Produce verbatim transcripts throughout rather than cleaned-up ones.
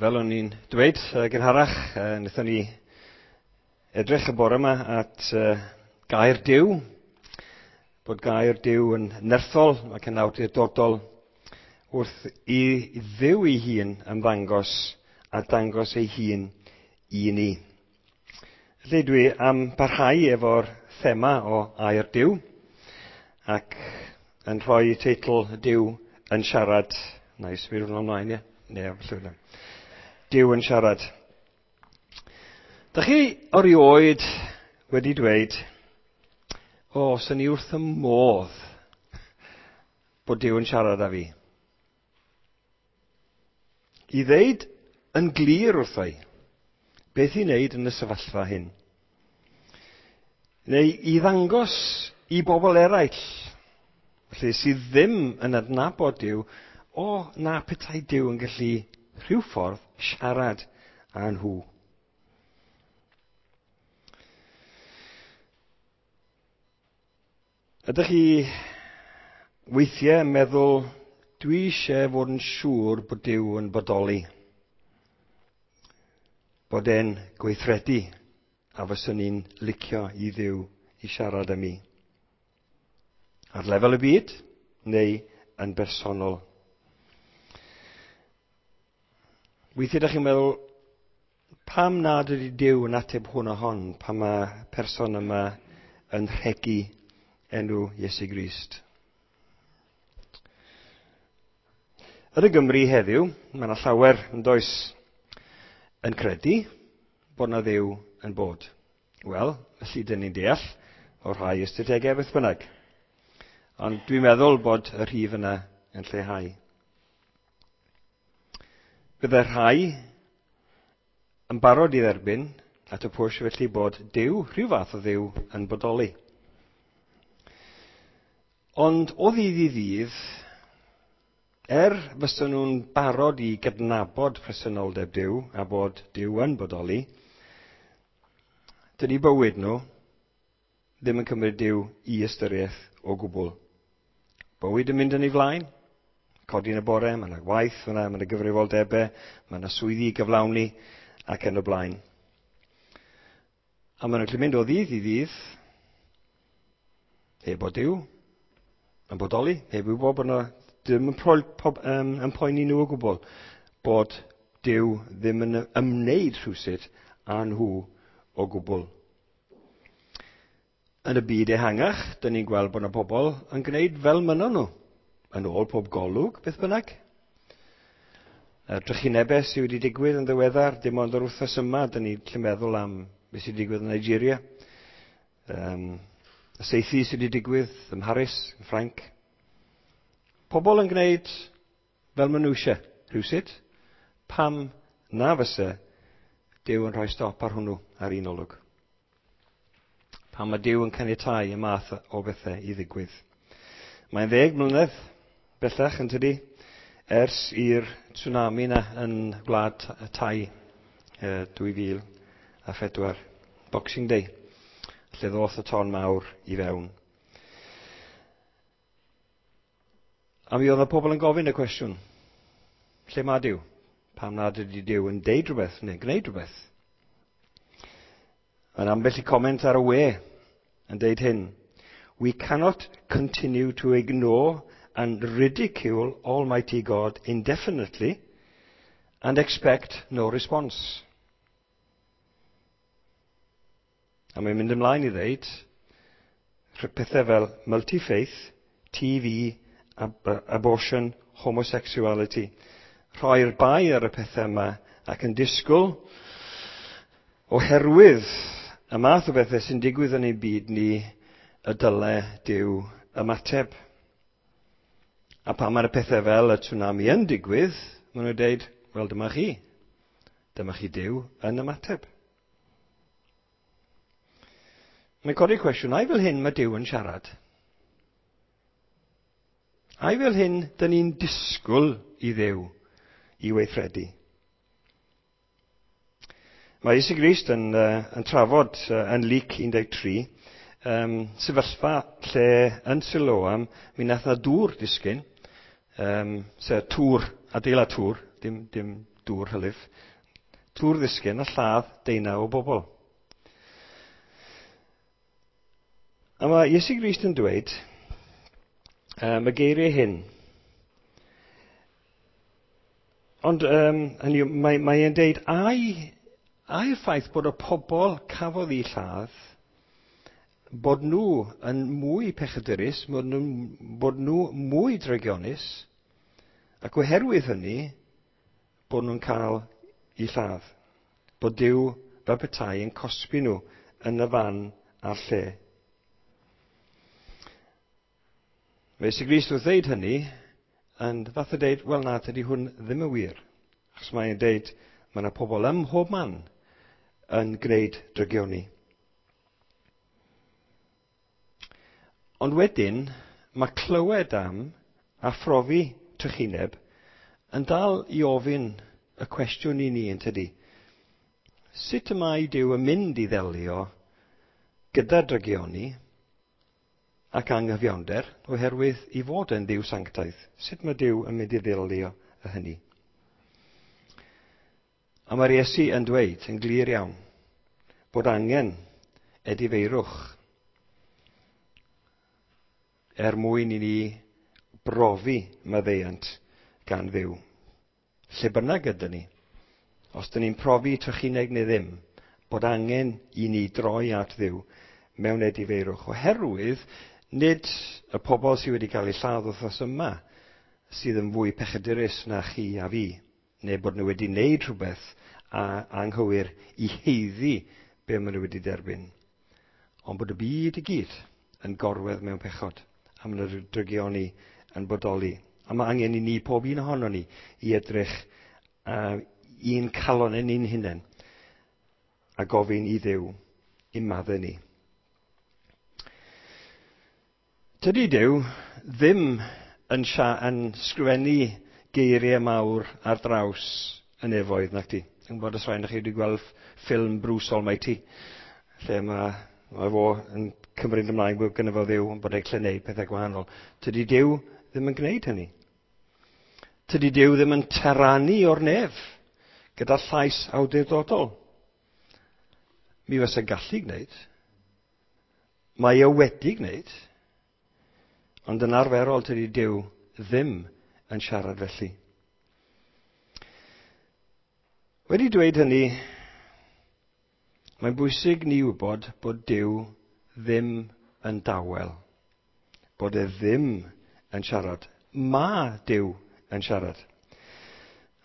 Fel o'n i'n dweud uh, gynharach, uh, wnaethon ni edrych y bore yma at uh, gair Duw, bod gair Duw yn nerthol ac yn awdurdodol wrth i Dduw ei hun ymddangos a dangos ei hun i ni. Felly dwi am barhau efo'r thema o air Duw ac yn rhoi teitl Duw yn siarad. Na i symud hwnna ymlaen, ie? Ne, falle. Duw yn siarad. Dach chi erioed wedi dweud, o, swn i wrth y modd bod Duw yn siarad â fi? I ddeud yn glir wrtho i beth i wneud yn y sefyllfa hyn. Neu i ddangos i bobl eraill, felly sydd ddim yn adnabod Duw, o, na petai Duw yn gallu rhyw ffordd siarad â nhw. Ydych chi weithiau yn meddwl, dwi eisiau fod yn siŵr bod Duw yn bodoli, bod e'n gweithredu, a fyswn i'n licio i Dduw i siarad â mi. Ar lefel y byd, neu yn bersonol. Weithiau ydych chi'n meddwl, pam nad ydy Duw yn ateb hwn a hon, pan mae person yma yn rhegi enw Iesu Grist? Yn y Gymru heddiw, mae yna llawer yn does yn credu bod yna Dduw yn bod. Wel, felly dyn ni'n deall o'r rhai ystadegau beth bynnag. Ond dwi'n meddwl bod y rhif yna yn lleihau. Byddai rhai yn barod i dderbyn at y pwrs felly bod Duw, rhyw fath o Dduw, yn bodoli. Ond o ddydd i ddydd, er fysa nhw'n barod i gydnabod presenoldeb Duw a bod Duw yn bodoli, dydy bywyd nhw ddim yn cymryd Duw i ystyriaeth o gwbl. Bywyd yn mynd yn ei flaen, codi yn y bore, mae yna waith, mae yna gyfrifoldebau, mae yna swyddi i gyflawni ac yn y blaen. A maen nhw'n gallu mynd o ddydd i ddydd, heb bod Duw yn bodoli, heb wybod bod yna ddim yn, pro, po, um, yn poeni nhw o gwbl, bod Duw ddim yn ymwneud rhywsut â nhw o gwbl. Yn y byd ehangach, dyn ni'n gweld bod yna pobl yn gwneud fel mynnon nhw, yn ôl pob golwg, beth bynnag. Y drychinebau sydd wedi digwydd yn ddiweddar, dim ond yr wythnos yma, dyn ni'n gallu meddwl am beth sydd wedi digwydd yn Nigeria. Um, y saethu sydd wedi digwydd ym Mharis, yn Ffrainc. Pobl yn gwneud fel maen nhw eisiau, rhywsut. Pam na fysa Duw yn rhoi stop ar hwnnw ar un olwg? Pam mae Duw yn caniatáu y math o bethau i ddigwydd? Mae'n ddeg mlynedd bellach yn tydi, ers i'r tsunami na yn gwlad Thai dwy fil a phedwar, Boxing Day, lle ddoth y ton mawr i fewn. A mi oedd y pobl yn gofyn y cwestiwn, lle mae Duw? Pam nad ydy Duw yn deud rhywbeth neu gwneud rhywbeth? Yn ambell i comment ar y we yn deud hyn, we cannot continue to ignore and ridicule Almighty God indefinitely and expect no response. A mae'n mynd ymlaen i ddeud pethau fel multi-faith, T V, ab- abortion, homosexuality. Rhoi'r bai ar y pethau yma ac yn disgwyl oherwydd y math o bethau sy'n digwydd yn ein byd ni y dyle Duw ymateb. A pan mae'r pethau fel y tsunami yn digwydd, maen nhw'n dweud, wel dyma chi. Dyma chi Duw yn ymateb. Mae'n codi cwestiwn, ai fel hyn mae Duw yn siarad? Ai fel hyn dyn ni'n disgwyl i Dduw i weithredu? Mae Iesu Grist yn, uh, yn trafod uh, yn Luc un deg tri, um, sefyllfa lle yn Siloam mi nath na dŵr disgyn, um, sef tŵr, adeilad tŵr, dim, dim dŵr hylif, tŵr ddisgyn a lladd deunaw o bobl. A mae Iesu Grist yn dweud um, y geiriau hyn. Ond um, hynny, mae, mae e'n deud, ai, ai'r ffaith bod y pobl cafodd eu lladd, bod nhw yn mwy pechadurus, bod nhw, bod nhw mwy drygionus, ac oherwydd hynny, bod nhw'n cael eu lladd. Bod Duw fel petai yn cosbi nhw yn y fan a'r lle. Mae Iesu Grist wrth ddeud hynny, yn fath o deud, wel na, tydi hwn ddim yn wir. Achos mae'n deud, mae yna pobl ym mhob man yn gwneud drygioni. Ond wedyn, mae clywed am a phrofi trychineb yn dal i ofyn y cwestiwn i ni, yn tydi. Sut y mae Duw yn mynd i ddelio gyda drygioni ac anghyfiawnder, oherwydd i fod yn Dduw sanctaidd? Sut mae Duw yn mynd i ddelio â hynny? A mae'r Iesu yn dweud yn glir iawn bod angen edifeirwch er mwyn i ni brofi maddeuant gan Dduw. Lle bynnag ydyn ni, os dyn ni'n profi trychineb neu ddim, bod angen i ni droi at Dduw mewn edifeirwch, oherwydd nid y pobl sydd wedi cael eu lladd wythnos yma sydd yn fwy pechadurus na chi a fi, neu bod nhw wedi wneud rhywbeth a anghywir i haeddu be maen nhw wedi derbyn. Ond bod y byd i gyd yn gorwedd mewn pechod, a maen nhw'n drygioni yn bodoli. A mae angen i ni, pob un ohono ni, i edrych uh, i'n calon yn ein hunain a gofyn i Dduw i maddau ni. Tydi Duw ddim yn, yn sgrifennu geiriau mawr ar draws y nefoedd, nac di. Dwi'n gwybod os rhaid chi wedi gweld ffilm Bruce Almighty, lle mae, mae fo yn cymryd ymlaen bod gynno fo Dduw, ond bod e'n gallu gwneud pethau gwahanol. Tydi Duw ddim yn gwneud hynny. Tydi Duw ddim yn taranu o'r nef gyda llais awdurdodol. Mi fysa'n gallu gwneud. Mae e wedi gwneud. Ond yn arferol tydi Duw ddim yn siarad felly. Wedi dweud hynny, mae'n bwysig ni wybod bod Duw ddim yn dawel. Bod e ddim yn siarad. Mae Duw yn siarad.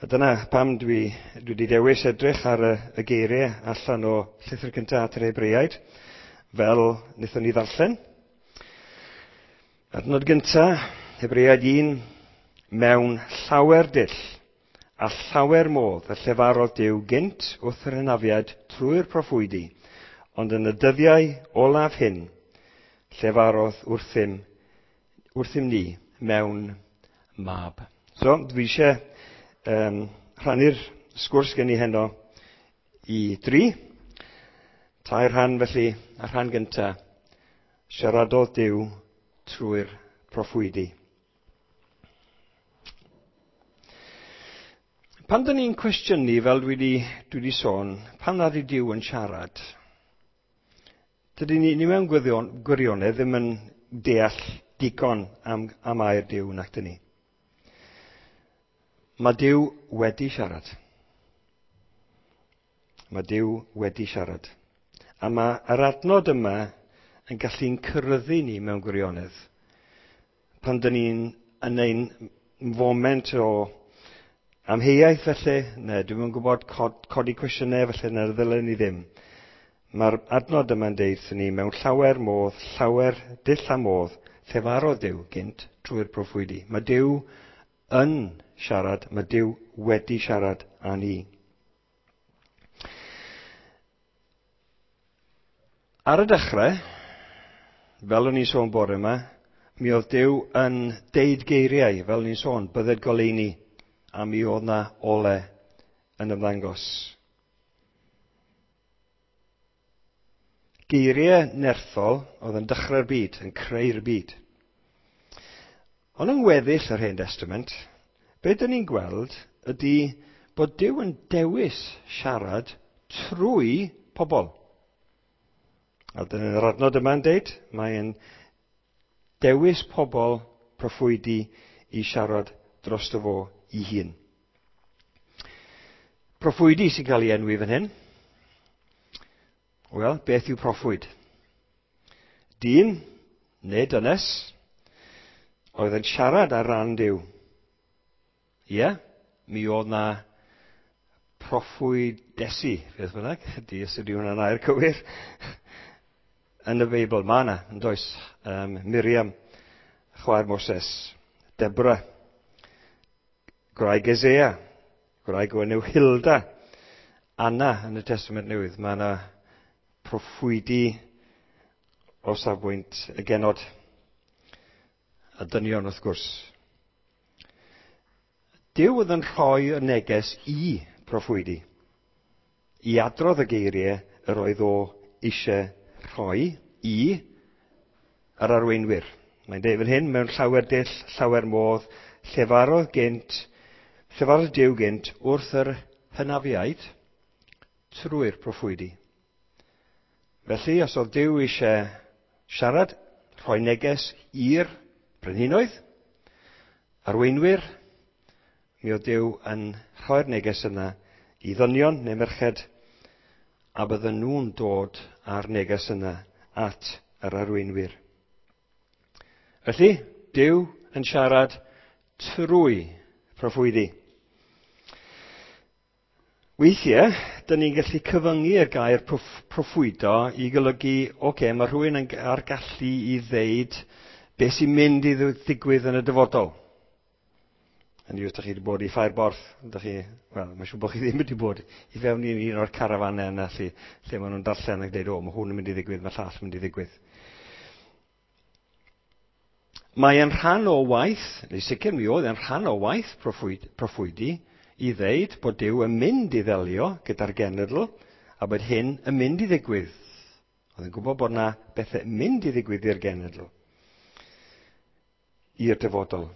A dyna pam dwi, dwi wedi dewis edrych ar y, y geiriau allan o llythyr cyntaf at yr Hebreaid, fel wnaethon ni ddarllen. Adnod gyntaf, Hebreaid un, mewn llawer dull a llawer modd y llefarodd Duw gynt wrth yr hynafiaid trwy'r proffwydi, ond yn y dyddiau olaf hyn, llefarodd wrthym, wrthym ni mewn mab. So, dwi eisiau um, rhannu'r sgwrs gen i heno i dri. Tair rhan felly, a rhan gyntaf, siaradodd Duw trwy'r proffwydi. Pan dyn ni'n cwestiynu, fel dwi wedi, dwi wedi sôn, pan nad yw Duw yn siarad, dydyn ni, ni mewn gwyddion, gwirionedd ddim yn deall digon am, am air Duw, nac dyn ni. Mae Duw wedi siarad. Mae Duw wedi siarad. A mae yr adnod yma yn gallu'n cyryddu ni mewn gwirionedd. Pan dyn ni'n yn ein foment o amheuaeth felly, neu dwi'm yn gwybod cod, codi cwestiynau felly, na ddylen ni ddim. Mae'r adnod yma'n deud wrthyn ni mewn llawer modd, llawer dull a modd, llefarodd Duw gynt trwy'r proffwydi. Mae Duw yn siarad, mae Duw wedi siarad â ni. Ar y dechrau, fel o'n i'n sôn bore yma, mi oedd Duw yn deud geiriau, fel o'n i'n sôn, bydded goleuni, a mi oedd na ole yn ymddangos. Geiriau nerthol oedd yn dechrau'r byd, yn creu'r byd. Ond yng ngweddill yr Hen Testament, be dyn ni'n gweld ydy bod Duw yn dewis siarad trwy pobl. A dyna'r adnod yma'n deud, mae'n dewis pobl proffwydi i siarad drosto fo ei hun. Proffwydi sy'n cael ei enwi fan hyn. Wel, beth yw proffwyd? Dyn, neu dynes, oedd yn siarad ar ran Duw. Ie, mi oedd na proffwydesi, beth bynnag, di os ydy hwnna'n air cywir, yn y Beibl. Mae yna, yn does, um, Miriam, chwaer Moses, Deborah, gwraig Esea, gwraig o enw Hilda, Anna yn y Testament Newydd. Mae yna proffwydi o safbwynt y genod a dynion wrth gwrs. Duw oedd yn rhoi y neges i proffwydi, i adrodd y geiriau yr oedd o eisiau rhoi i yr arweinwyr. Mae'n dweud fan hyn, mewn llawer dull, llawer modd, llefarodd gynt, llefarodd Duw gynt wrth yr hynafiaid trwy'r proffwydi. Felly, os oedd Duw eisiau siarad, rhoi neges i'r brenhinoedd, arweinwyr, mi oedd Duw yn rhoi'r neges yna i ddynion neu merched, a bydden nhw'n dod â'r neges yna at yr arweinwyr. Felly, Duw yn siarad trwy proffwydi. Weithiau, dyn ni'n gallu cyfyngu y gair proffwydo i golygu, oce, okay, mae rhywun yn ar gallu i ddeud beth sy'n mynd i ddigwydd yn y dyfodol. Hynny yw, os ydych chi wedi bod i Ffair Borth, ydych chi, wel, mae'n siŵr bod chi ddim wedi bod i fewn i un o'r carafanau yna lle, lle maen nhw'n darllen ac dweud, o, mae hwn yn mynd i ddigwydd, mae llall yn mynd i ddigwydd. Mae e'n rhan o waith, neu sicr mi oedd e'n rhan o waith proffwyd, proffwydi, i ddeud bod Duw yn mynd i ddelio gyda'r genedl a bod hyn yn mynd i ddigwydd. Oedd yn gwybod bod yna bethau yn mynd i ddigwydd i'r genedl, i'r dyfodol.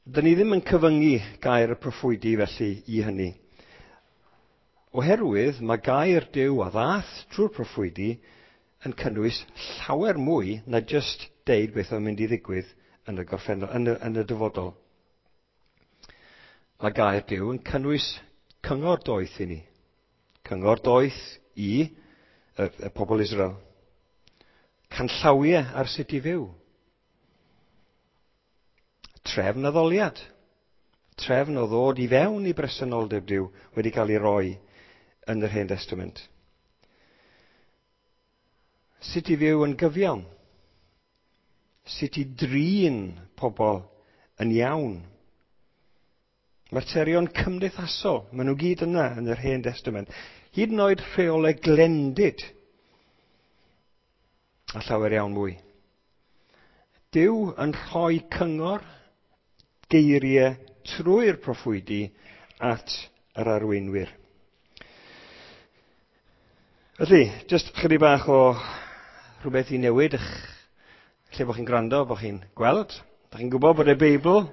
Dyn ni ddim yn cyfyngu gair y proffwydi felly i hynny. Oherwydd mae gair Duw a ddath trwy'r proffwydi yn cynnwys llawer mwy na jyst deud beth oedd yn mynd i ddigwydd yn y gorffennol, yn y, yn y dyfodol. Mae gair Duw yn cynnwys cyngor doeth i ni. Cyngor doeth i y, y pobl Israel. Canllawiau ar sut i fyw. Trefn addoliad. Trefn o ddod i fewn i bresenoldeb Duw wedi cael ei roi yn yr Hen Testament. Sut i fyw yn gyfiawn. Sut i drin pobl yn iawn. Materion cymdeithasol, maen nhw gyd yna yn yr Hen Testament. Hyd yn oed rheolau glendid. A llawer iawn mwy. Duw yn rhoi cyngor, geiriau trwy'r proffwydi at yr arweinwyr. Felly, jyst chydig bach o rhywbeth i newid eich lle bod chi'n gwrando, bod chi'n gweld. Da chi'n gwybod bod y Beibl,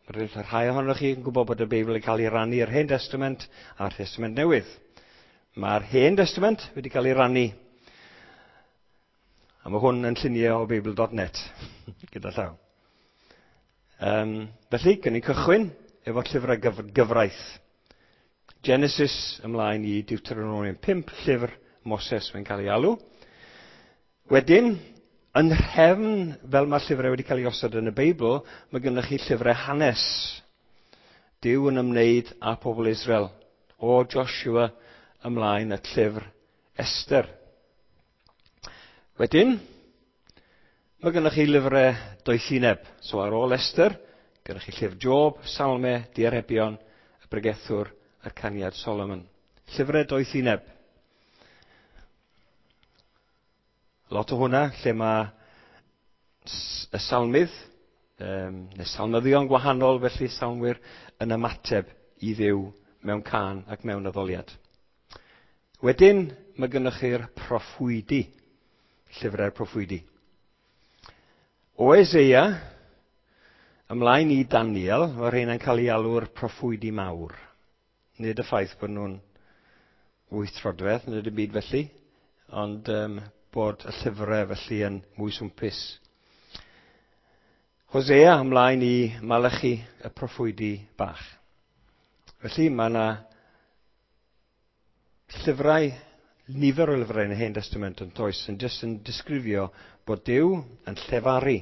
mae rhai ohonoch chi yn gwybod bod y Beibl yn cael ei rannu i'r Hen Testament a'r Testament Newydd. Mae'r Hen Testament wedi cael ei rannu. A mae hwn yn lluniau o Beibl dot net, gyda llaw. Um, felly, gyn ni cychwyn efo llyfrau gyf gyfraith. Genesis ymlaen i Deuteronomium pump, llyfr Moses mae'n cael ei alw. Wedyn, yn nhrefn, fel mae'r llyfrau wedi cael ei osod yn y Beibl, mae gennych chi llyfrau hanes. Duw yn ymwneud â pobl Israel. O Joshua ymlaen at llyfr Esther. Wedyn, mae gennych chi lyfrau doethineb. So ar ôl Esther, gennych chi llyfr Job, Salme, Diarebion, y Bregethwr a'r Caniad Solomon. Llyfrau doethineb. Lot o hwnna, lle mae y salmydd, um, neu salmyddion gwahanol, felly salmwyr, yn ymateb i Dduw mewn cân ac mewn addoliad. Wedyn, mae gennych chi'r proffwydi, llyfrau'r proffwydi. O Eseia, Ymlaen i Daniel, mae rheina'n cael ei alw'r proffwydi mawr. Nid y ffaith bod nhw'n wyth troedfedd, nid y byd felly, ond um, bod y llyfrau felly yn mwy swmpus. Hosea ymlaen i Malachi, y proffwydi bach. Felly mae yna llyfrau, nifer o lyfrau yn y Hen Testament yn does, yn jyst yn disgrifio bod Duw yn llefaru.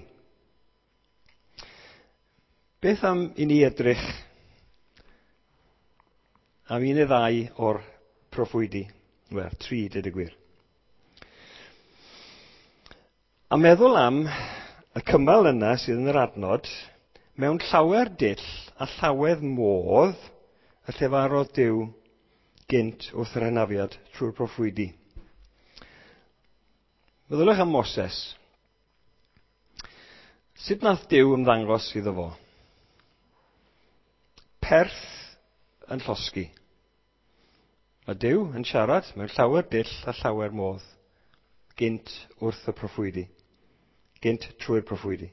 Beth am i ni edrych am un neu ddau o'r proffwydi? Wel, tri, dweud y gwir. A meddwl am y cymal yna sydd yn yr adnod, mewn llawer dull a llawer modd y llefarodd Duw gynt wrth yr hynafiad trwy'r proffwydi. Meddyliwch am Moses. Sut nath Duw ymddangos iddo fo? Perth yn llosgi. Mae Duw yn siarad mewn llawer dull a llawer modd gynt wrth y proffwydi. Gynt trwy'r proffwydi.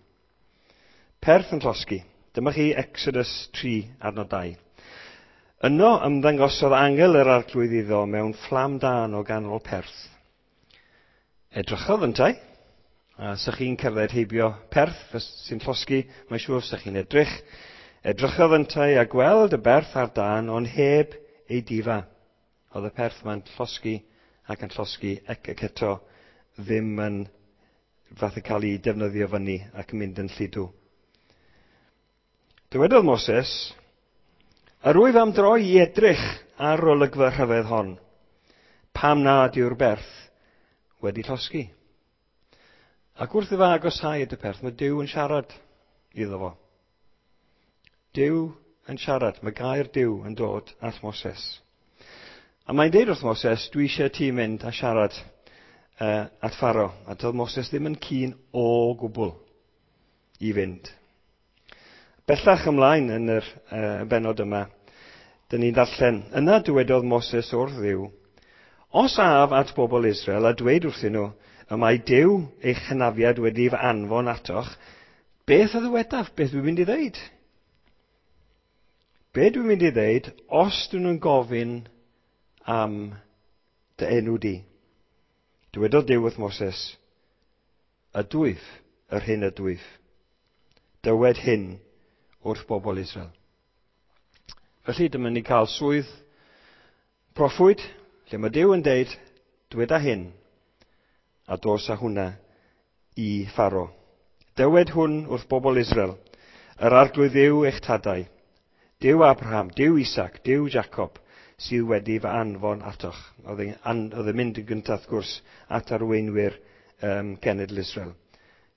Perth yn llosgi. Dyma chi Exodus tri, adnod dau. Yno ymddangosodd angel yr arglwydd iddo mewn fflam dân o ganol perth. Edrychodd yntau, a sa chi'n cerdded heibio perth sy'n llosgi, mae'n siŵr sa chi'n edrych. Edrychodd yntau a gweld y berth ar dân, ond heb ei difa. Oedd y perth ma'n llosgi ac yn llosgi ac ac eto ddim yn fath o cael ei defnyddio fyny ac yn mynd yn lludw. Dywedodd Moses, yr wyf am droi i edrych ar olygfa rhyfedd hon, pam nad yw'r berth wedi llosgi. Ac wrth iddo agosáu at y perth, mae Duw yn siarad iddo fo. Duw yn siarad, mae gair Duw yn dod at Moses. A mae'n deud wrth Moses, dwi eisiau ti mynd a siarad uh, at Pharaoh. A doedd Moses ddim yn keen o gwbl i fynd. Bellach ymlaen yn yr uh, benod yma, dyn ni'n darllen, yna dywedodd Moses wrth Dduw, os af at bobl Israel a dweud wrthyn nhw, y mae Duw eich hynafiad wedi fy anfon atoch, beth a ddywedaf, beth dwi'n mynd i ddeud? Be dwi'n mynd i ddeud os dyn nhw'n gofyn am dy enw di? Dywedodd Duw wrth Moses, ydwyf yr hyn ydwyf. Dywed hyn wrth bobl Israel. Felly dyma ni cael swydd proffwyd, lle mae Duw yn deud, dweda hyn, a dos â hwnna i Pharaoh. Dywed hwn wrth bobl Israel, yr arglwydd Dduw eich tadau, Duw Abraham, Duw Isaac, Duw Jacob, sydd wedi fy anfon atoch. Oedd e'n mynd yn gyntaf, wrth gwrs, at arweinwyr um, cenedl Israel.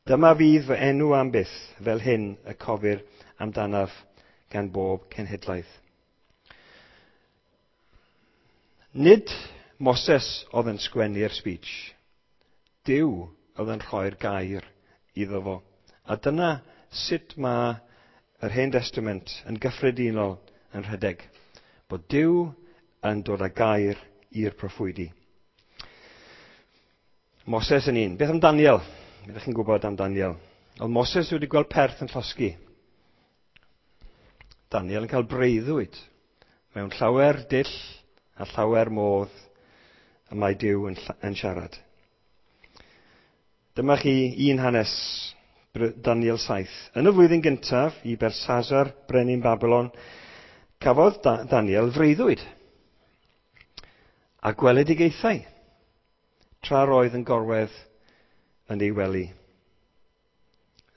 Dyma fydd fy enw am byth, fel hyn y cofir amdanaf gan bob cenhedlaeth. Nid Moses oedd yn sgwennu'r speech. Duw oedd yn rhoi'r gair iddo fo. A dyna sut mae yr Hen Testament yn gyffredinol yn rhedeg. Bod Duw yn dod â gair i'r proffwydi. Moses yn un. Beth am Daniel? Beth ydych chi'n gwybod am Daniel? Oedd Moses wedi gweld perth yn llosgi. Daniel yn cael breuddwyd mewn llawer dull a llawer modd y mae Duw yn, yn siarad. Dyma chi un hanes, Daniel saith. Yn y flwyddyn gyntaf i Belshazzar, brenin Babylon, cafodd da- Daniel freuddwyd a gweledigaethau tra roedd yn gorwedd yn ei wely.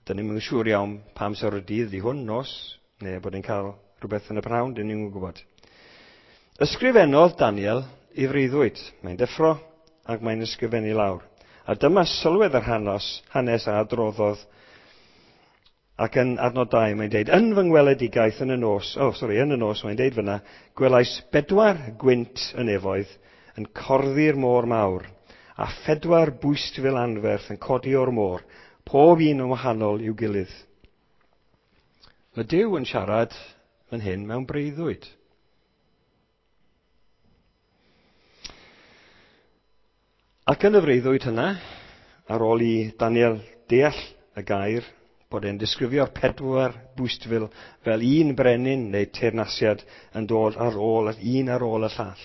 Dyn ni'm yn siŵr iawn pa amser o'r dydd ydi hwn, nos, neu bod e'n cael rhywbeth yn y prynhawn, dyn ni'm yn gwybod. Ysgrifennodd Daniel ei freuddwyd. Mae'n deffro ac mae'n ysgrifennu lawr. A dyma sylwedd yr hanes, hanes a adroddodd. Ac yn adnod dau mae'n deud, yn fy ngweledigaeth yn y nos, oh sorry, yn y nos mae'n deud fyna, gwelais bedwar gwynt y nefoedd yn corddi'r môr mawr, a phedwar bwystfil anferth yn codi o'r môr, pob un yn wahanol i'w gilydd. Mae Duw yn siarad fan hyn mewn breuddwyd. Ac yn y freuddwyd hynna, ar ôl i Daniel deall y gair bod e'n disgrifio'r pedwar bwystfil fel un brenin neu teyrnasiad yn dod ar ôl, un ar ôl y llall.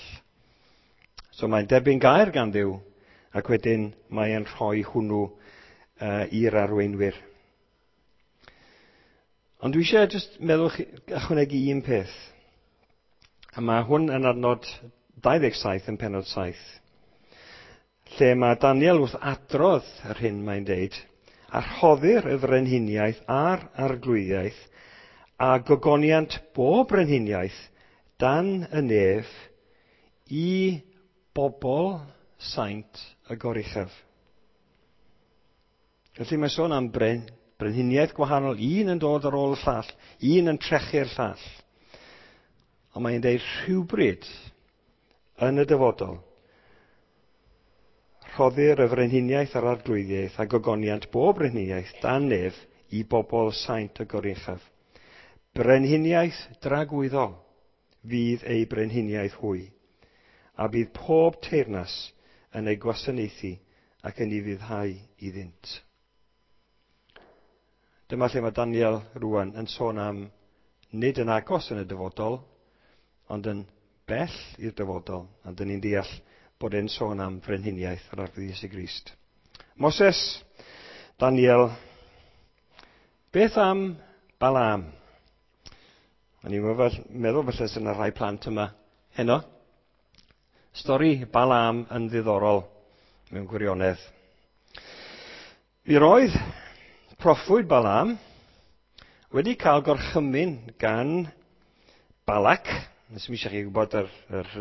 So mae'n derbyn gair gan Dduw, ac wedyn mae'n rhoi hwnnw uh, i'r arweinwyr. Ond dwi eisiau just meddwl chi, ychwanegu un peth. A mae hwn yn adnod dau ddeg saith yn pennod saith, lle mae Daniel wrth adrodd yr hyn mae'n deud, a rhoddir y frenhiniaeth a'r arglwyddiaeth a gogoniant bob brenhiniaeth dan y nef i bobl saint y goruchaf. Felly mae sôn am bren, brenhiniaeth gwahanol, un yn dod ar ôl y llall, un yn trechu'r llall. Ond mae'n deud rhywbryd yn y dyfodol, rhoddir y frenhiniaeth a'r arglwyddiaeth a gogoniant bob brenhiniaeth dan nef i bobl saint y goruchaf. Brenhiniaeth dragwyddol fydd ei brenhiniaeth hwy, a bydd pob teyrnas yn ei gwasanaethu ac yn ei ufuddhau iddynt. Dyma lle mae Daniel rwan yn sôn am nid yn agos yn y dyfodol, ond yn bell i'r dyfodol, a dyn ni'n deall bod e'n sôn am frenhiniaeth yr Arglwydd Iesu Grist. Moses, Daniel, beth am Balaam? O'n i'n meddwl falle sy'n yna rhai plant yma heno. Stori Balaam yn ddiddorol mewn gwirionedd. Mi roedd proffwyd Balaam wedi cael gorchymyn gan Balak, nes i eisiau chi gwybod yr, yr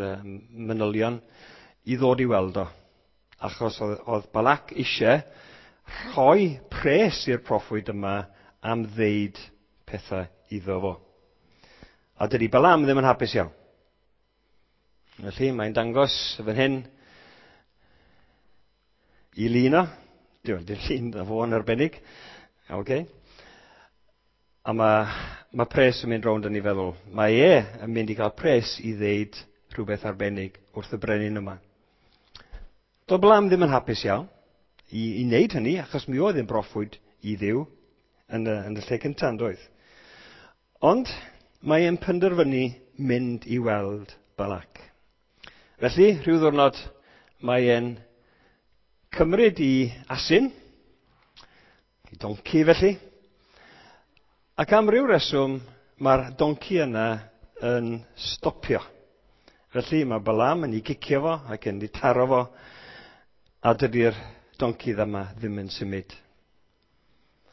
manylion, i ddod i weld o. Achos oedd, oedd Balak eisiau rhoi pres i'r proffwyd yma am ddeud pethau iddo fo. A dydy Balaam ddim yn hapus iawn. Felly mae'n dangos fan hyn i lun o. Dwi'n dim llun o fo yn arbennig. Okay. A mae, mae pres yn mynd rownd yn ei feddwl. Mae e yn mynd i gael pres i ddeud rhywbeth arbennig wrth y brenin yma. Doedd Balaam ddim yn hapus iawn i, i wneud hynny, achos mi oedd yn broffwyd i Dduw yn y, yn y lle cyntaf, yn doedd. Ond mae e'n penderfynu mynd i weld Balak. Felly, rhyw ddiwrnod, mae e'n cymryd i asyn, i donci felly, ac am ryw reswm, mae'r donci yna yn stopio. Felly, mae Balaam yn ei gicio fo ac yn ei taro fo, a dydy'r donci yma ddim yn symud.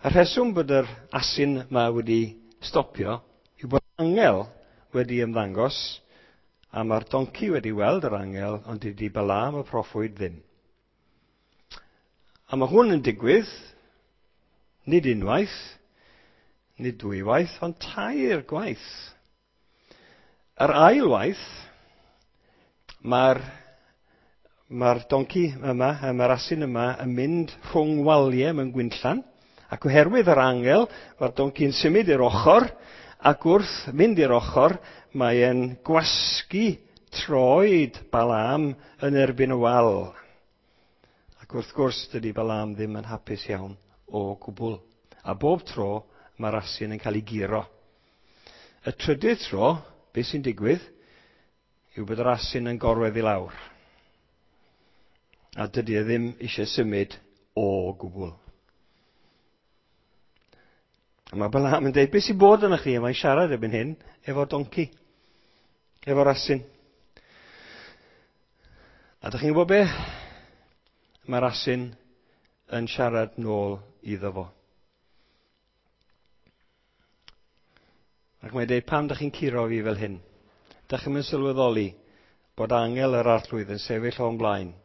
Y rheswm bod yr asyn yma wedi stopio yw bod angel wedi ymddangos, a mae'r donci wedi weld yr angel, ond dydy Balaam y proffwyd ddim. A mae hwn yn digwydd, nid unwaith, nid dwywaith, ond tair gwaith. Yr ail waith, mae'r mae'r donci yma, mae'r asyn yma yn mynd rhwng waliau mewn gwinllan, ac oherwydd yr angel, mae'r donci'n symud i'r ochr, ac wrth mynd i'r ochr, mae e'n gwasgu troed Balaam yn erbyn y wal. Ac wrth gwrs, dydy Balaam ddim yn hapus iawn o gwbl. A bob tro, mae'r asyn yn cael ei guro. Y trydydd tro, beth sy'n digwydd, yw bod yr asyn yn gorwedd i lawr. A dydy e ddim eisiau symud o gwbl. A mae Balaam yn dweud, beth sy'n bod yna chi? A mae'n siarad erbyn hyn efo'r donci, efo'r asyn. A dych chi'n gwybod be? Mae'r asyn yn siarad nôl iddo fo. Ac mae'n dweud, pam dych chi'n curo fi fel hyn? Dych chi'n mynd sylweddoli bod angel yr Arglwydd yn sefyll o'n blaen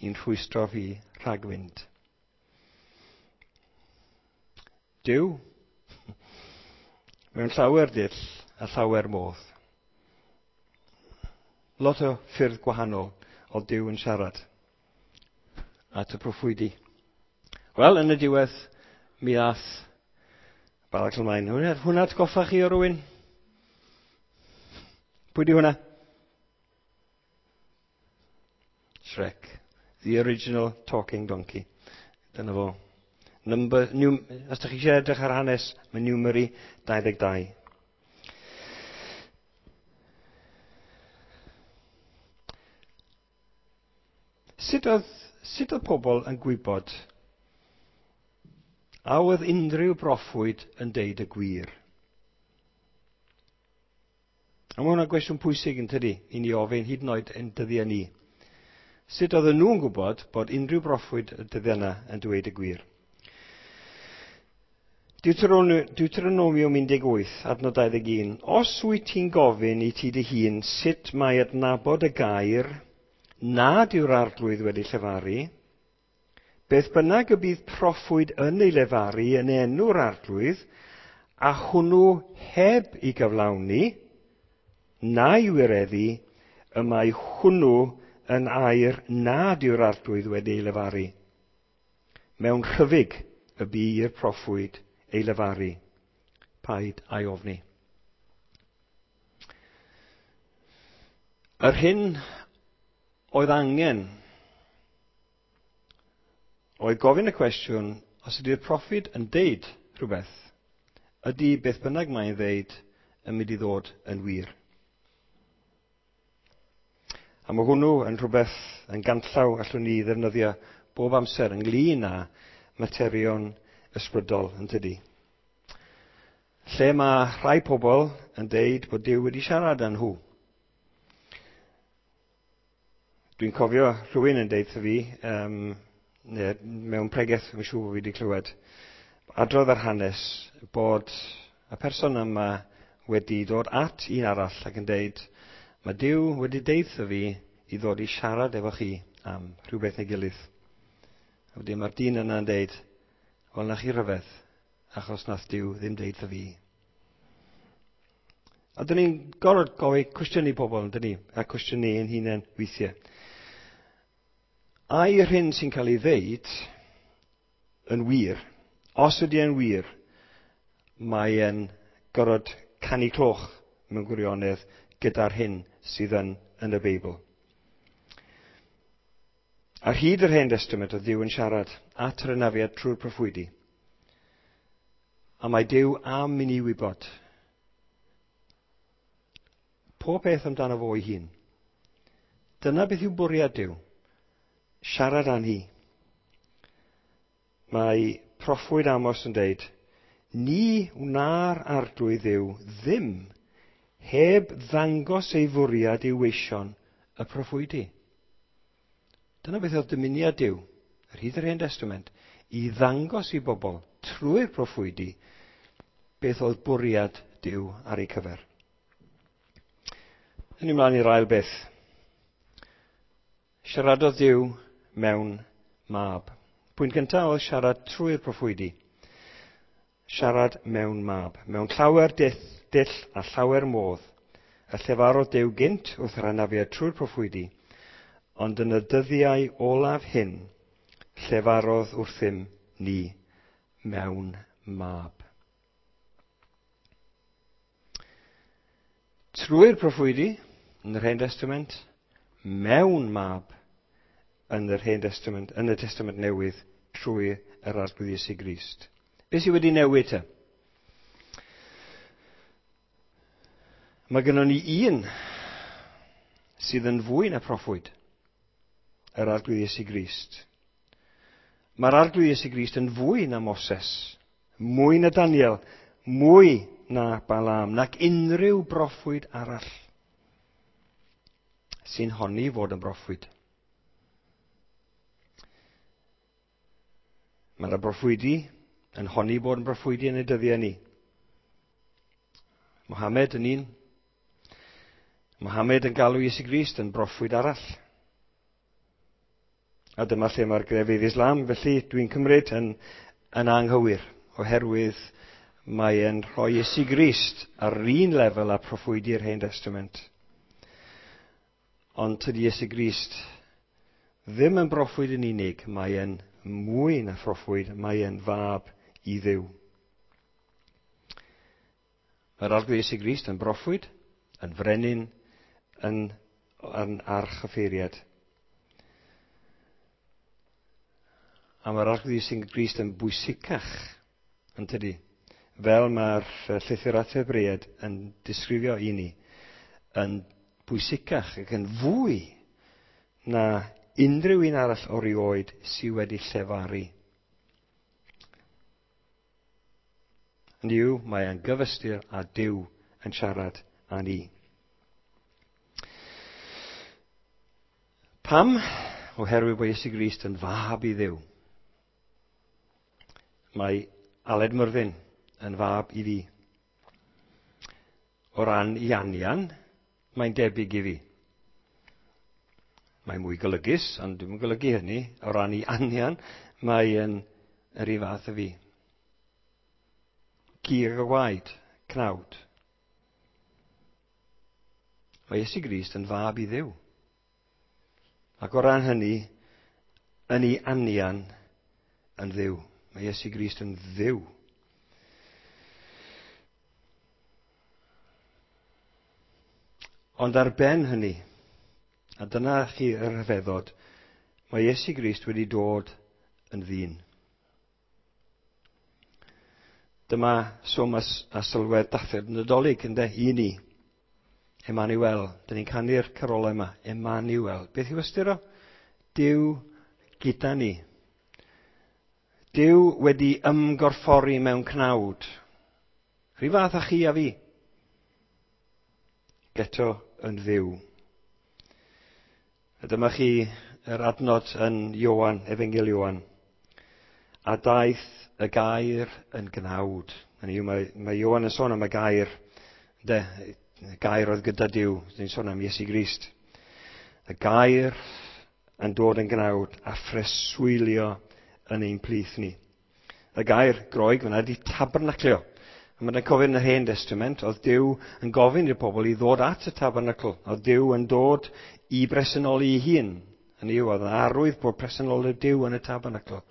i'n rhwystro fi rhag fynd. Duw, mewn llawer dull a llawer modd. Lot o ffyrdd gwahanol o Duw yn siarad at y proffwydi. Wel, yn y diwedd, mi ath Balak ymlaen. Hwnna, hwnna atgoffa chi o rywun? Pwy di hwnna? Shrek. The original talking donkey. Dyna fo. Number, num, os ydych chi eisiau edrych ar hanes, mae Numeri dau ddeg dau. Sut oedd, sut oedd pobl yn gwybod a oedd unrhyw broffwyd yn deud y gwir? A mae hwnna'n gwestiwn pwysig yn tydi, i ni ofyn hyd yn oed yn dyddiau ni. Sut oedden nhw'n gwybod bod unrhyw broffwyd y dyddiau yna yn dweud y gwir? Deuteronomium un deg wyth, adnod dau ddeg un. Os wyt ti'n gofyn i ti dy hun sut mae adnabod y gair nad yw'r arglwydd wedi llefaru, beth bynnag y bydd proffwyd yn ei lefaru yn enw'r arglwydd, a hwnnw heb ei gyflawni, na'i wireddu, y mae hwnnw yn air nad yw'r arglwydd wedi ei lefaru. Mewn rhyfyg y bu i'r proffwyd ei lefaru. Paid a'i ofni. Yr hyn oedd angen oedd gofyn y cwestiwn, os ydy'r proffwyd yn deud rhywbeth, ydy beth bynnag mae'n ddeud yn mynd i ddod yn wir. A mae hwnnw yn rhywbeth yn ganllaw allwn ni ddefnyddio bob amser ynglyn â materion ysbrydol yn tydi. Lle mae rhai pobl yn deud bod Duw wedi siarad â nhw. Dwi'n cofio rhywun yn deud wrtho fi, um, neu mewn pregeth, yn siŵr bod fi wedi clywed, adrodd ar hanes bod y person yma wedi dod at un arall ac yn deud, mae Duw wedi deud wrtho fi i ddod i siarad efo chi am rhywbeth neu gilydd. A wedyn mae'r dyn yna'n deud, wel na chi rhyfedd, achos nath Duw ddim deud wrtho fi. A dyn ni'n gorfod gofyn cwestiynu pobl, yn dyn ni, a cwestiynu ein hunain weithiau. Ai'r hyn sy'n cael ei ddeud yn wir, os ydy e'n wir, mae e'n gorfod canu cloch mewn gwirionedd gyda'r hyn sydd yn, yn y Beibl. Ar hyd yr Hen Testament oedd Duw yn siarad at yr anafiad trwy'r proffwydi. A mae Duw am i ni wybod pob peth amdano fo ei hun. Dyna beth yw bwriad Duw. Siarad â ni. Mae proffwyd Amos yn deud, ni wna'r arglwydd Dduw ddim heb ddangos ei fwriad i'w weision y proffwydi. Dyna beth oedd dymuniad Duw, ar hyd yr Hen Testament, i ddangos i bobl trwy'r proffwydi beth oedd bwriad Duw ar eu cyfer. Yn ymlaen i'r ail beth. Siaradodd Duw mewn mab. Pwynt gyntaf oedd siarad trwy'r proffwydi. Siarad mewn mab. Mewn llawer dull, dull a llawer modd. Y llefarodd Duw gynt wrth yr anafiad trwy'r proffwydi, ond yn y dyddiau olaf hyn, llefarodd wrthym ni mewn mab. Trwy'r proffwydi yn yr Hen Testament, mewn mab yn yr Hen Testament, yn y Testament Newydd, trwy yr Arglwydd Iesu Grist. Beth sydd wedi newid te? Mae gennon ni un sydd yn fwy na proffwyd, yr Arglwydd Iesu Grist. Mae'r Arglwydd Iesu Grist yn fwy na Moses, mwy na Daniel, mwy na Balaam, nac unrhyw broffwyd arall sy'n honni fod yn broffwyd. Mae'r broffwydi yn honni bod yn broffwydi yn y dyddiau ni. Mohammed yn un. Mohammed yn galw Iesu Grist yn broffwyd arall. A dyma lle mae'r grefydd Islam, felly dwi'n cymryd yn, yn anghywir, oherwydd mae e'n rhoi Iesu Grist ar yr un lefel â proffwydi'r Hen Testament. Ond tydi Iesu Grist ddim yn broffwyd yn unig, mae e'n mwy na phroffwyd, mae e'n fab i Dduw. Mae'r Arglwydd Iesu Grist yn broffwyd, yn frenin, yn, yn archyffeiriad. A mae'r Arglwydd Iesu Grist yn bwysicach, yn tydi? Fel mae'r llythyr at Hebreaid yn disgrifio i ni, yn bwysicach ac yn fwy na unrhyw un arall o rioed sydd wedi llefaru. Hynny yw, mae e'n gyfystyr â Duw yn siarad â ni. Pam? Oherwydd bod Iesu Grist yn fab i Dduw. Mae Aled Myrddin yn fab i fi. O ran i anian, mae'n debyg i fi. Mae'n mwy golygus, ond dwi'm yn golygu hynny. O ran i anian, mae'n yr un fath â fi. Cig a gwaed, cnawd. Mae Iesu Grist yn fab i Dduw. Ac o ran hynny, yn ei anian yn Dduw. Mae Iesu Grist yn Dduw. Ond ar ben hynny, a dyna chi y rhyfeddod, mae Iesu Grist wedi dod yn ddyn. Dyma swm a, a sylwedd dathliad Nadolig, ynde, i ni. Emmanuel, dyn ni'n canu'r carolau yma, Emmanuel. Beth yw ystyr o? Duw gyda ni. Duw wedi ymgorffori mewn cnawd. Rhyw fath â chi a fi. Geto yn Dduw. A dyma chi yr adnod yn Ioan, Efengyl Ioan. A daeth y gair yn gnawd. Hynny yw, mae, mae Ioan yn sôn am y gair, ynde, y gair oedd gyda Duw. Ni'n sôn am Iesu Grist. Y gair yn dod yn gnawd a phreswylio yn ein plith ni. Y gair Groeg fyna ydy tabernaclio. A mae'n cofio yn yr Hen Testament, oedd Duw yn gofyn i'r pobl i ddod at y tabernacl. Oedd Duw yn dod i bresenoli ei hun. Hynny yw, oedd yn arwydd bod presenoldeb Duw yn y tabernacl.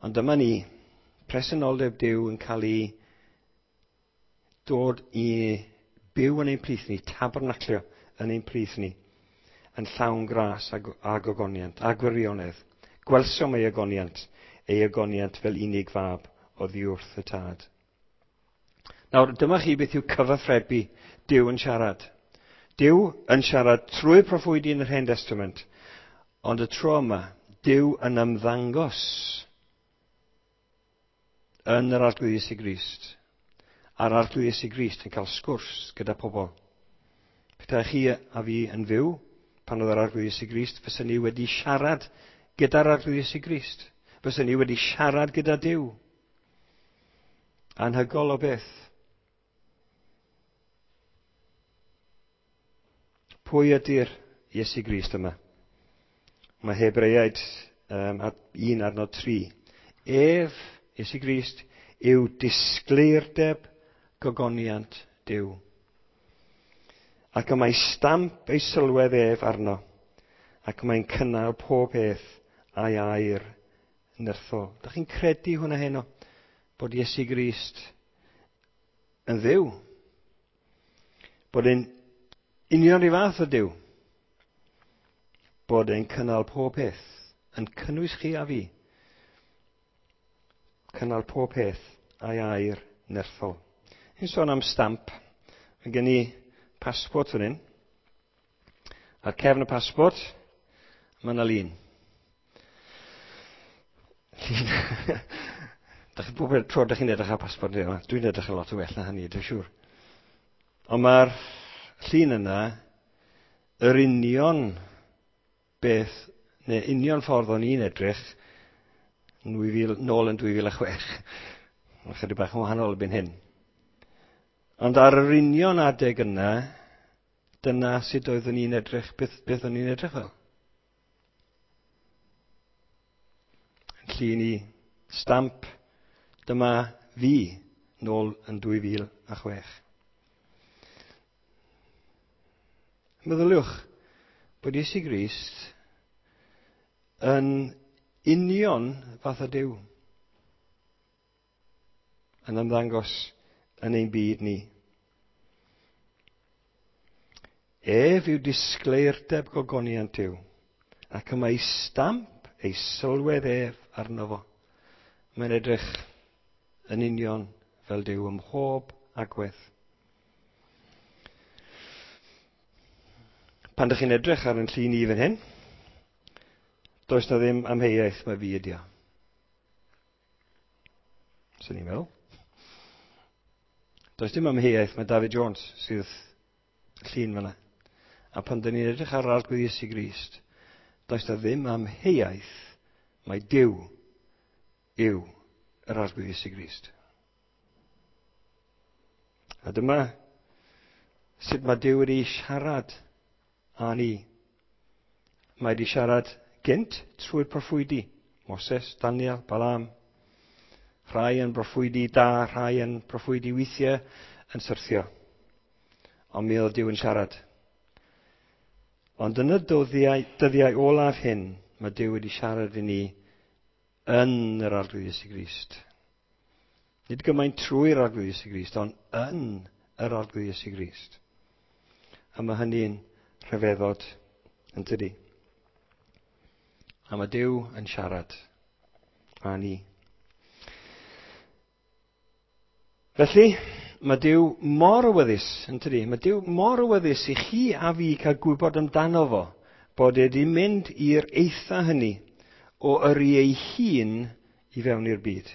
Ond dyma ni, presenoldeb Duw yn cael ei dod i byw yn ein plith ni, tabernaclio yn ein plith ni, yn llawn gras a, a gogoniant, a gwirionedd. Gwelsom ei ogoniant, ei ogoniant fel unig fab oddi wrth y Tad. Nawr, dyma chi beth yw cyfathrebu Duw yn siarad. Duw yn siarad trwy'r proffwydi yn yr Hen Testament, ond y tro yma, Duw yn ymddangos yn yr Arglwydd Iesu Grist. A'r Arglwydd Iesu Grist yn cael sgwrs gyda pobl. Petai chi a fi yn fyw, pan oedd yr Arglwydd Iesu Grist, fysen ni wedi siarad gyda'r Arglwydd Iesu Grist. Fysen ni wedi siarad gyda Duw. Anhygol o beth. Pwy ydy'r Iesu Grist yma? Mae Hebreaid um, un adnod tri. Ef, Iesu Grist, yw disgleirdeb gogoniant Duw. Ac y mae stamp ei sylwedd ef arno, ac mae'n cynnal pob peth a'i air nerthol. Dach chi'n credu hwnna heno? Bod Iesu Grist yn Dduw? Bod e'n union rhyw fath o Duw? Bod e'n cynnal pob peth, yn cynnwys chi a fi. Cynnal pob peth a'i air nerthol. Ni'n sôn am stamp. Mae gen i passport fan hyn. Ar cefn y passport, mae yna lun. Llun. Dach chi bob tro dach chi'n edrych ar passport, dwi'n edrych yn lot o well na hynny, dwi'n siŵr. Ond mae'r llun yna, yr union beth, neu union ffordd o'n i'n edrych, nôl yn dwy fil a chwech. Mae'n chydig bach yn wahanol erbyn hyn. Ond ar yr union adeg yna, dyna sut oeddwn i'n edrych, beth, beth o'n i'n edrych fel. Llun i stamp, dyma fi, nôl yn dwy fil a chwech. Meddyliwch bod Iesu Grist yn union fath o Duw yn ymddangos yn ein byd ni. Ef yw disgleirdeb gogoniant Duw, ac y mae stamp ei sylwedd ef arno fo. Mae'n edrych yn union fel Duw ym mhob agwedd. Pan ydych chi'n edrych ar yn llun i fan hyn, does na ddim amheuaeth mae fi ydi o. Swn i'n meddwl. Does dim amheuaeth mae David Jones sydd llun fan'na. A pan dyn ni'n edrych ar Arglwydd Iesu Grist, does na ddim amheuaeth mae Duw yw yr Arglwydd Iesu Grist. A dyma sut mae Duw wedi siarad â ni. Mae wedi siarad gynt trwy'r proffwydi, Moses, Daniel, Balaam. Rhai yn broffwydi da, rhai yn proffwydi weithiau yn syrthio. Ond mi oedd Duw yn siarad. Ond yn y dyddiau, dyddiau olaf hyn, mae Duw wedi siarad i ni yn yr Arglwydd Iesu Grist. Nid gymaint trwy'r Arglwydd Iesu Grist, ond yn yr Arglwydd Iesu Grist. A mae hynny'n rhyfeddod yn tydi. A mae Duw yn siarad â ni. Felly, mae Duw mor awyddus, yn tydi? Mae Duw mor awyddus i chi a fi cael gwybod amdano fo, bod e wedi mynd i'r eitha hynny o yrru ei hun i fewn i'r byd.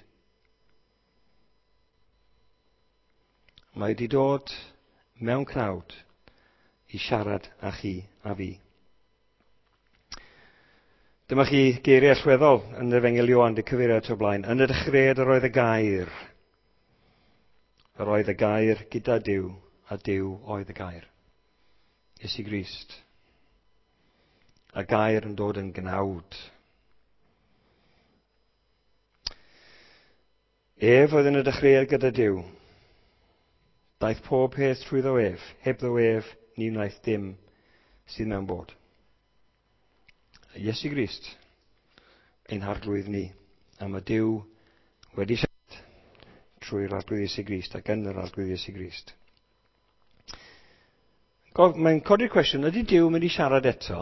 Mae wedi dod mewn cnawd i siarad â chi a fi. Dyma chi geiriau allweddol yn yr Efengyl Ioan, di cyfeirio at o blaen. Yn y dechreuad yr oedd y gair. Yr oedd y gair gyda Duw, a Duw oedd y gair. Iesu Grist. A gair yn dod yn gnawd. Ef oedd yn y dechreuad gyda Duw. Daeth pob peth trwyddo ef, hebddo ef, ni wnaeth dim sydd mewn bod. Iesu Grist, ein harglwydd ni, a mae Duw wedi siarad trwy'r Arglwydd Iesu Grist ac yn yr Arglwydd Iesu Grist. Mae'n codi'r cwestiwn, ydy Duw mynd i siarad eto?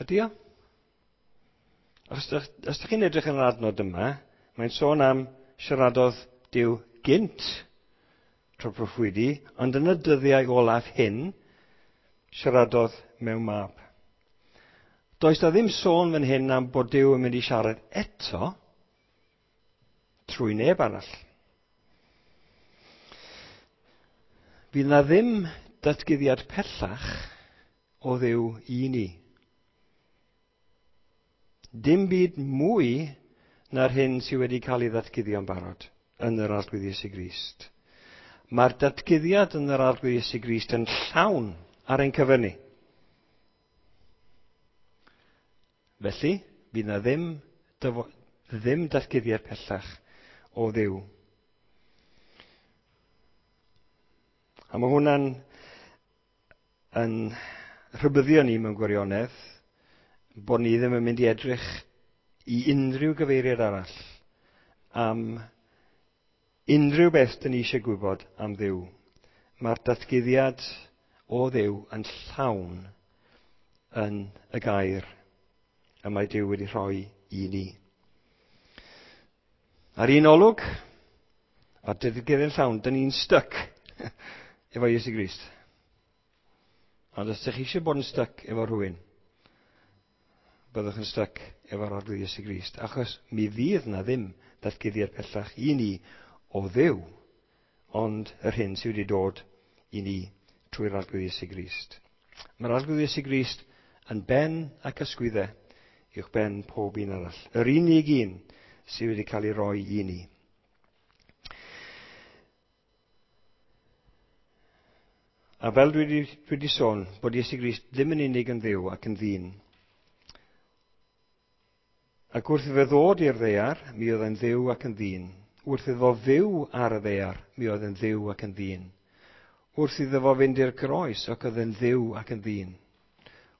Ydy o? Os ydych chi'n edrych yn yr adnod yma, mae'n sôn am siaradodd Duw gynt trwy proffwydi, ond yn y dyddiau olaf hyn, siaradodd mewn mab. Does na ddim sôn fan hyn am bod Duw yn mynd i siarad eto trwy neb arall. Fydd na ddim datguddiad pellach o Dduw i ni. Dim byd mwy na'r hyn sydd wedi cael ei ddatguddio'n barod yn yr Arglwydd Iesu Grist. Mae'r datguddiad yn yr Arglwydd Iesu Grist yn llawn ar ein cyfer ni. Felly, fydd na ddim, ddim datguddiad pellach o Dduw. A mae hwnna'n yn rhybuddio ni mewn gwirionedd bod ni ddim yn mynd i edrych i unrhyw gyfeiriad arall am unrhyw beth dyn ni eisiau gwybod am Dduw. Mae'r datguddiad o Dduw yn llawn yn y gair y mae Duw wedi rhoi i ni. Ar un olwg, a'r datguddiad yn llawn, dyn ni'n styc efo Iesu Grist. Ond os ydych chi eisiau bod yn styc efo rhywun, byddwch yn styc efo'r Arglwydd Iesu Grist, achos mi fydd na ddim datguddiad pellach i ni o Dduw, ond yr hyn sydd wedi dod i ni trwy'r Arglwydd Iesu Grist. Mae'r Arglwydd Iesu Grist yn ben ac ysgwyddau uwch ben pob un arall. Yr unig un sydd wedi cael ei roi i ni. A fel dwi wedi, dwi wedi sôn, bod Iesu Grist ddim yn unig yn Dduw ac yn ddyn. Ac wrth iddo ddod i'r ddaear, mi oedd e'n Dduw ac yn ddyn. Wrth iddo fyw ar y ddaear, mi oedd e'n Dduw ac yn ddyn. Wrth iddo fo fynd i'r groes, ac oedd e'n Dduw ac yn ddyn.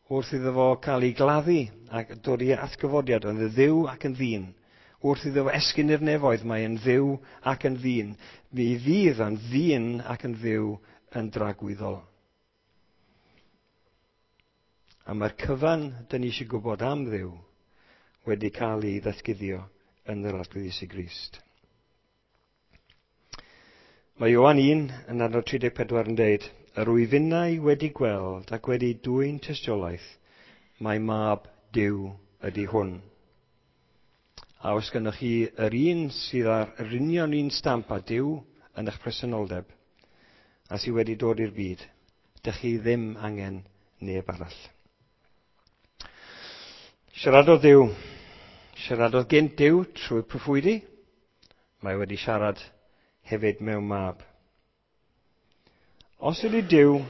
Wrth iddo fo cael ei gladdu ac dod i atgyfodiad, oedd e'n Dduw ac yn ddyn. Wrth iddo fo esgyn i'r nefoedd, mae e'n Dduw ac yn ddyn. Mi fydd yn ddyn ac yn Dduw yn dragwyddol. A mae'r cyfan dyn ni eisiau gwybod am Dduw wedi cael ei ddatguddio yn yr Arglwydd Iesu Grist. Mae Ioan un yn adnod tri deg pedwar yn deud, yr wyf innau wedi gweld ac wedi dwyn tystiolaeth, mae mab Duw ydy hwn. A os gynnoch chi yr un sydd ar yr union un stamp â Duw yn eich presenoldeb, a sydd wedi dod i'r byd, dych chi ddim angen neb arall. Siaradodd Duw. Siaradodd gynt Duw trwy proffwydi. Mae wedi siarad hefyd mewn mab. Os ydy Duw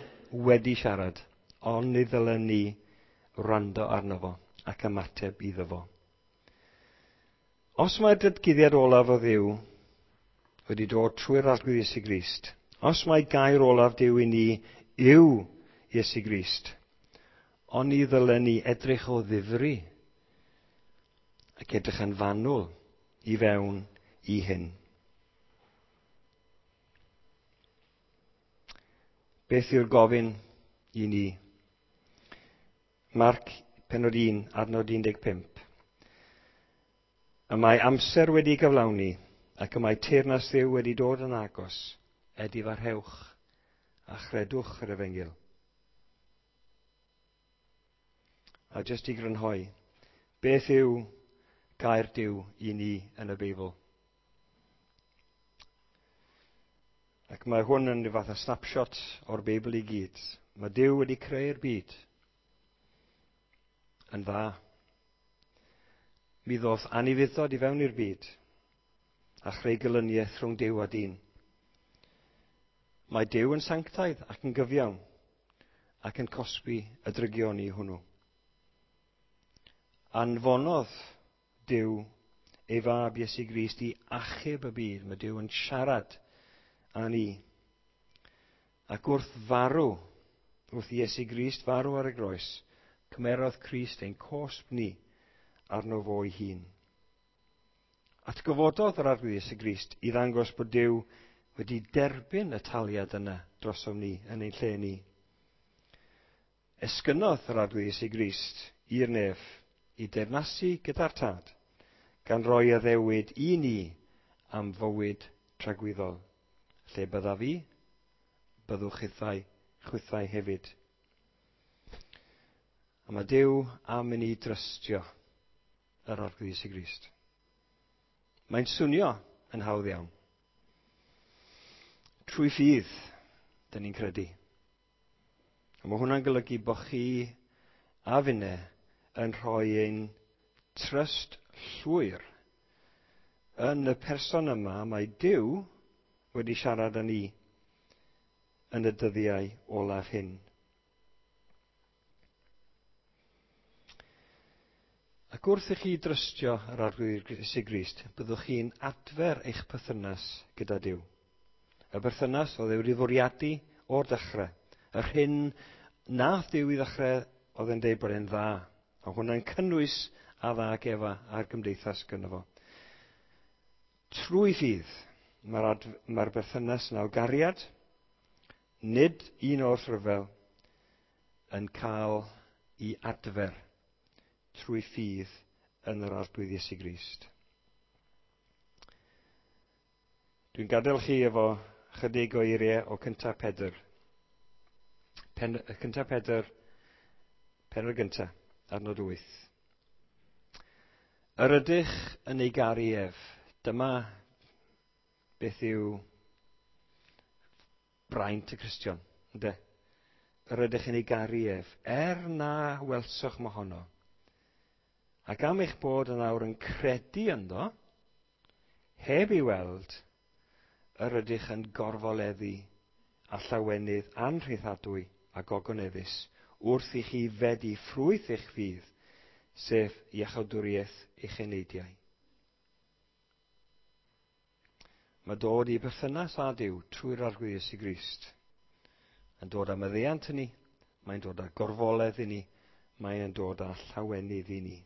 wedi siarad, ond ni ddylen ni wrando arno fo ac ymateb iddo fo. Os mae'r datguddiad olaf o Dduw wedi dod trwy'r Arglwydd Iesu Grist, os mae gair olaf Duw i ni yw Iesu Grist, ond ni ddylen ni edrych o ddifri ac edrych yn fanwl i fewn i hyn. Beth yw'r gofyn i ni? Marc pennod un, adnod un deg pump. Y mae amser wedi gyflawni ac y mae teyrnas Dduw wedi dod yn agos. Edifarhewch a chredwch yr efengyl. A jyst i grynhoi, beth yw gair Duw i ni yn y Beibl? Ac mae hwn yn rhyw fath o snapshot o'r Beibl i gyd. Mae Duw wedi creu'r byd yn dda. Mi ddoth anufuddod i fewn i'r byd a chreu gelyniaeth rhwng Duw a dyn. Mae Duw yn sanctaidd ac yn gyfiawn ac yn cosbi y drygioni hwnnw. Anfonodd Duw ei fab Iesu Grist i achub y byd. Mae Duw yn siarad â ni. Ac wrth farw, wrth Iesu Grist farw ar y groes, cymerodd Crist ein cosb ni arno fo ei hun. Atgyfododd yr Arglwydd Iesu Grist i ddangos bod Duw wedi derbyn y taliad yna drosom ni yn ein lle ni. Esgynnodd yr Arglwydd Iesu Grist i'r nef i deyrnasu gyda'r Tad, gan roi addewid i ni am fywyd tragwyddol. Lle byddaf fi, byddwch chithau, chwithau hefyd. A mae Duw am i ni drystio yr Arglwydd Iesu Grist. Mae'n swnio yn hawdd iawn. Trwy ffydd, dyn ni'n credu. A mae hwnna'n golygu bod chi a finne yn rhoi ein trust llwyr yn y person yma mae Duw wedi siarad â ni yn y dyddiau olaf hyn. Ac wrth i chi drystio yr Arglwydd Iesu Grist, byddwch chi'n adfer eich perthynas gyda Duw. Y berthynas oedd e wedi fwriadu o'r dechrau. Yr hyn nath Duw i ddechrau oedd e'n deud bod e'n dda. A hwnna'n cynnwys Adda ac Efa a'r gymdeithas gynno fo. Trwy ffydd, mae'r, mae'r berthynas yna o gariad, nid un o'r rhyfel, yn cael ei adfer trwy ffydd yn yr Arglwydd Iesu Grist. Dwi'n gadael chi efo chydig o eiriau o cyntaf Pedr. Pen, cyntaf Pedr, pennod gyntaf, adnod wyth. Yr ydych yn ei garu ef. Dyma beth yw braint y Cristion, ynde? Yr ydych yn ei garu ef, er na welsoch mohono. Ac am eich bod yn awr yn credu ynddo, heb ei weld, yr ydych yn gorfoleddu a llawenydd anrhythadwy a gogoneddus wrth i chi fedi ffrwyth eich ffydd, sef iachawdwriaeth eich eneidiau. Mae dod i berthynas â Duw trwy'r Arglwydd Iesu Grist yn dod â maddeuant i ni, mae'n dod â gorfoledd i ni, mae'n dod â llawenydd i ni.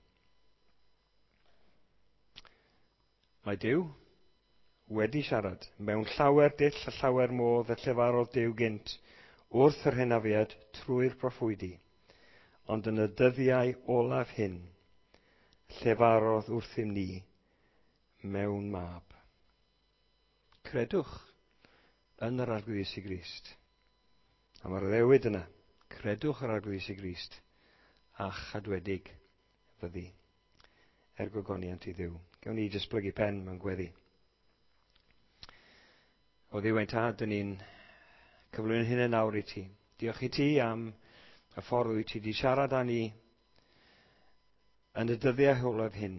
Mae Duw wedi siarad mewn llawer dull a llawer modd y llefarodd Duw gynt wrth yr hynafiad trwy'r proffwydi. Ond yn y dyddiau olaf hyn, llefarodd wrthym ni mewn mab. Credwch yn yr Arglwydd Iesu Grist. A mae'r addewid yna, credwch yr Arglwydd Iesu Grist a chadwedig fyddi. Er gogoniant i Dduw. Gawn ni jyst blygu pen mewn gweddi. O Dduw ein Tad, dyn ni'n cyflwyno hynny nawr i ti. Diolch i ti am y ffordd wyt ti wedi siarad â ni yn y dyddiau olaf hyn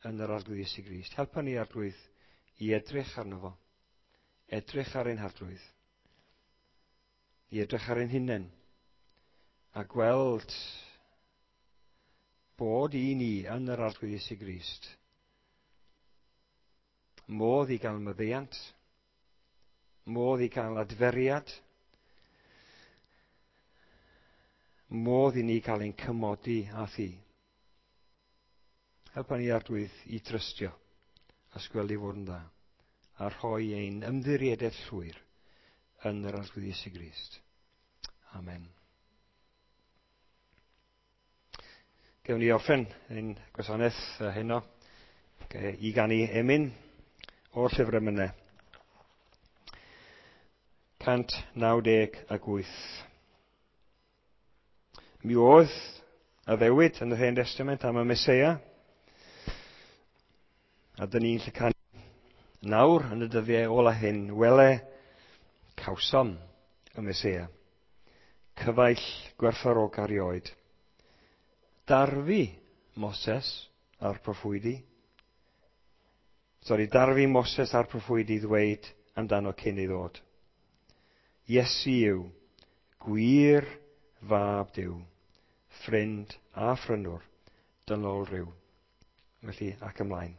yn yr Arglwydd Iesu Grist. Helpa ni, Arglwydd, i edrych arno fo. Edrych ar ein Harglwydd. I edrych ar ein hunain. A gweld bod i ni yn yr Arglwydd Iesu Grist modd i gael maddeuant, modd i gael adferiad, modd i ni cael ein cymodi â thi. Helpa ni, Arglwydd, i trystio a sgweld i fod yn dda, a rhoi ein ymddiriedaeth llwyr yn yr Arglwydd Iesu Grist. Amen. Gewn ni orffen ein gwasanaeth heno i ganu emyn o'r llyfr emynau. cant naw deg ac wyth. Mi oedd addewid yn yr Hen Testament am y Meseia, a dyn ni'n lle canu nawr yn y dyddiau ola hyn, wele cawsom y Meseia, cyfaill gwerthfawrog erioed. Darfu Moses a'r proffwydi, sorry, darfu Moses a'r proffwydi ddweud amdano cyn ei ddod. Iesu yw gwir fab Duw, ffrind a phrynwr, dynol rhyw. Felly, ac ymlaen.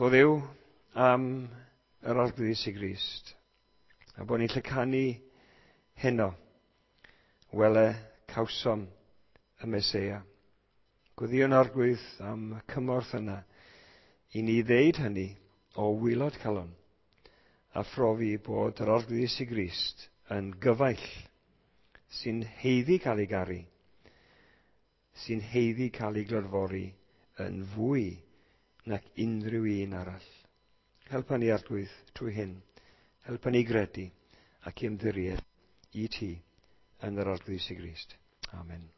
O Dduw am yr Arglwydd Iesu Grist, a bod ni'n lle canu heno, wele cawsom y Meseia. Gweddïwn Arglwydd am y cymorth yna i ni ddeud hynny o waelod calon, a phrofi bod yr Arglwydd Iesu Grist yn gyfaill sy'n haeddu cael ei garu, sy'n haeddu cael ei glodfori yn fwy nac unrhyw un arall. Helpa ni, Arglwydd, trwy hyn. Helpa ni gredu ac i ymddiried i ti yn yr Arglwydd Iesu Grist. Amen.